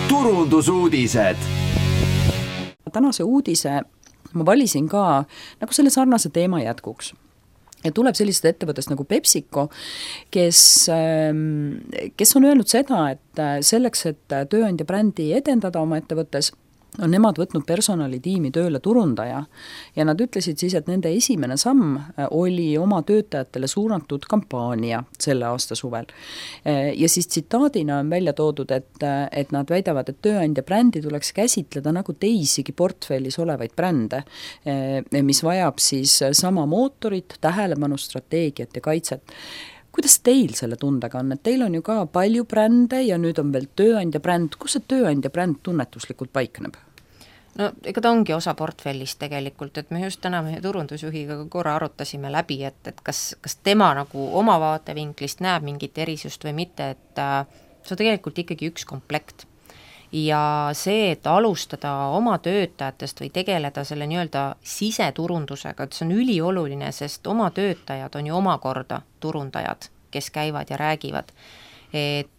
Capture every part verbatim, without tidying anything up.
turundusuudised. Tänase uudise ma valisin ka nagu selle sarnase teema jätkuks. Ja tuleb sellised ettevõttest nagu PepsiCo, kes, kes on öelnud seda, et selleks, et tööandja brändi edendada oma ettevõttes, on nemad võtnud personalitiimi tööle turundaja ja nad ütlesid siis, et nende esimene samm oli oma töötajatele suunatud kampaania selle aasta suvel. Ja siis tsitaadina on välja toodud, et, et nad väidavad, et tööandja brändi tuleks käsitleda nagu teisigi portfellis olevaid brände, mis vajab siis sama mootorit, tähelepanu, strateegiat ja kaitset. Kuidas teil selle tundega on, et teil on ju ka palju brände ja nüüd on veel tööandja bränd, kus see tööandja bränd tunnetuslikult paikneb? No ega ta ongi osa portfellist tegelikult, et me just täna meie turundusjuhiga korra arutasime läbi, et, et kas, kas tema nagu oma vaatevinklist näeb mingit erisust või mitte, et äh, see on tegelikult ikkagi üks komplekt. Ja see, et alustada oma töötajatest või tegeleda selle nii-öelda siseturundusega, et see on ülioluline, sest oma töötajad on ju omakorda turundajad, kes käivad ja räägivad. Et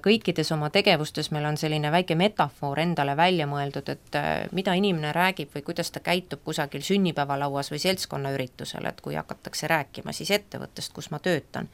kõikides oma tegevustes meil on selline väike metafoor endale välja mõeldud, et mida inimene räägib või kuidas ta käitub kusagil sünnipäevalauas või seltskonnaüritusel, et kui hakatakse rääkima siis ettevõttest, kus ma töötan.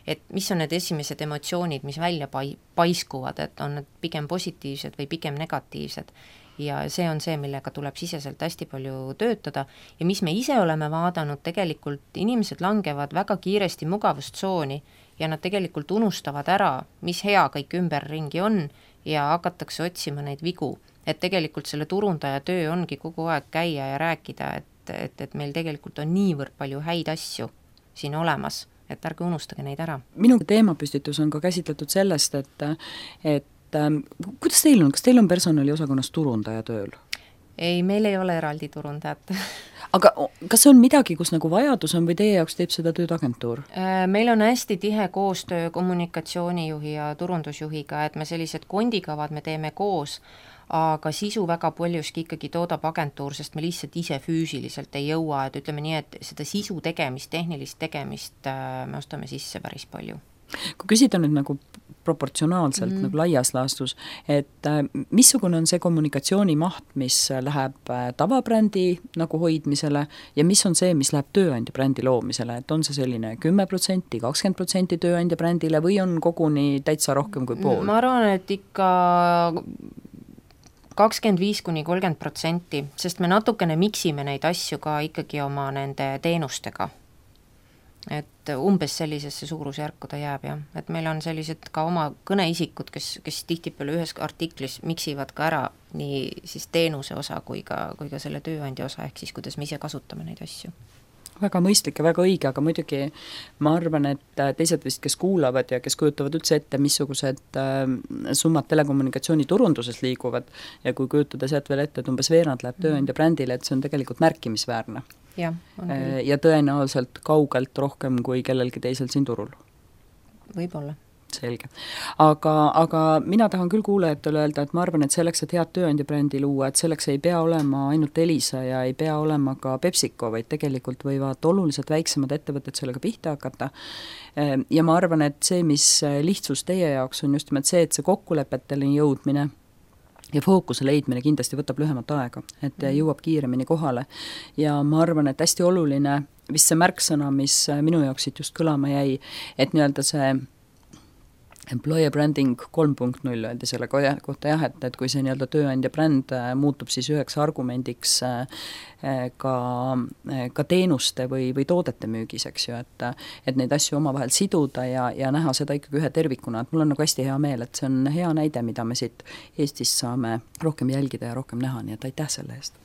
Et mis on need esimesed emotsioonid, mis välja paiskuvad, et on need pigem positiivsed või pigem negatiivsed. Ja see on see, millega tuleb siseselt hästi palju töötada ja mis me ise oleme vaadanud, tegelikult inimesed langevad väga kiiresti mugavustsooni ja nad tegelikult unustavad ära, mis hea kõik ümberringi on ja hakatakse otsima neid vigu. Et tegelikult selle turundaja töö ongi kogu aeg käia ja rääkida, et, et, et meil tegelikult on niivõrd palju häid asju siin olemas, et ärge unustage neid ära. Minu teemapüstitus on ka käsitletud sellest, et, et kuidas teil on, kas teil on personaliosakonnas turundaja tööl? Ei, meil ei ole eraldi turundajat. Aga kas see on midagi, kus nagu vajadus on või teie jaoks teeb seda tööd agentuur? Meil on hästi tihe koostöö kommunikatsioonijuhi ja turundusjuhiga, et me sellised kondikavad me teeme koos, aga sisu väga paljuski ikkagi toodab agentuur, sest me lihtsalt ise füüsiliselt ei jõua, et ütleme nii, et seda sisu tegemist, tehnilist tegemist me ostame sisse päris palju. Kui küsida nüüd nagu proportsionaalselt mm. nagu laias laastus, et missugune on see kommunikatsiooni maht, mis läheb tavabrändi nagu hoidmisele ja mis on see, mis läheb tööandja brändi loomisele, et on see selline kümme protsenti, kakskümmend protsenti tööandja brändile või on koguni täitsa rohkem kui pool? Ma arvan, et ikka kakskümmend viis kuni kolmkümmend protsenti, sest me natukene miksime neid asju ka ikkagi oma nende teenustega. Et umbes sellisesse suurusjärku ta jääb, jah. Et meil on sellised ka oma kõneisikud, kes, kes tihtipeale ühes artiklis miksivad ka ära nii siis teenuse osa kui ka, kui ka selle tööandja osa, ehk siis kuidas me ise kasutame neid asju. Väga mõistlik ja väga õige, aga muidugi ma arvan, et teised vist, kes kuulavad ja kes kujutavad üldse ette, missugused summad telekommunikatsiooni turunduses liiguvad ja kui kujutada sealt veel ette, et umbes veerand läheb tööandja brändile, et see on tegelikult märkimisväärne. Ja, ja tõenäoliselt kaugelt rohkem kui kellelgi teisel siin turul. Võib-olla. Selge. Aga, aga mina tahan küll kuulajatele öelda, et ma arvan, et selleks, et head tööandja brändi luua, et selleks ei pea olema ainult Elisa ja ei pea olema ka PepsiCo, vaid tegelikult võivad oluliselt väiksemad ettevõtted sellega pihta hakata. Ja ma arvan, et see, mis lihtsus teie jaoks on just nimelt see, et see kokkulepetele jõudmine ja fookuse leidmine kindlasti võtab lühemat aega, et jõuab kiiremini kohale. Ja ma arvan, et hästi oluline, vist see märksõna, mis minu jaoks siit just kõlama jäi, et nii-öelda see employer branding kolm punkt null öeldi selle kohta jah, et, et kui see nii-öelda tööandja bränd muutub siis üheks argumendiks ka, ka teenuste või, või toodete müügis, eks ju, et, et neid asju omavahel siduda ja, ja näha seda ikkagi ühe tervikuna, et mul on nagu hästi hea meel, et see on hea näide, mida me siit Eestis saame rohkem jälgida ja rohkem näha, nii et aitäh selle eest.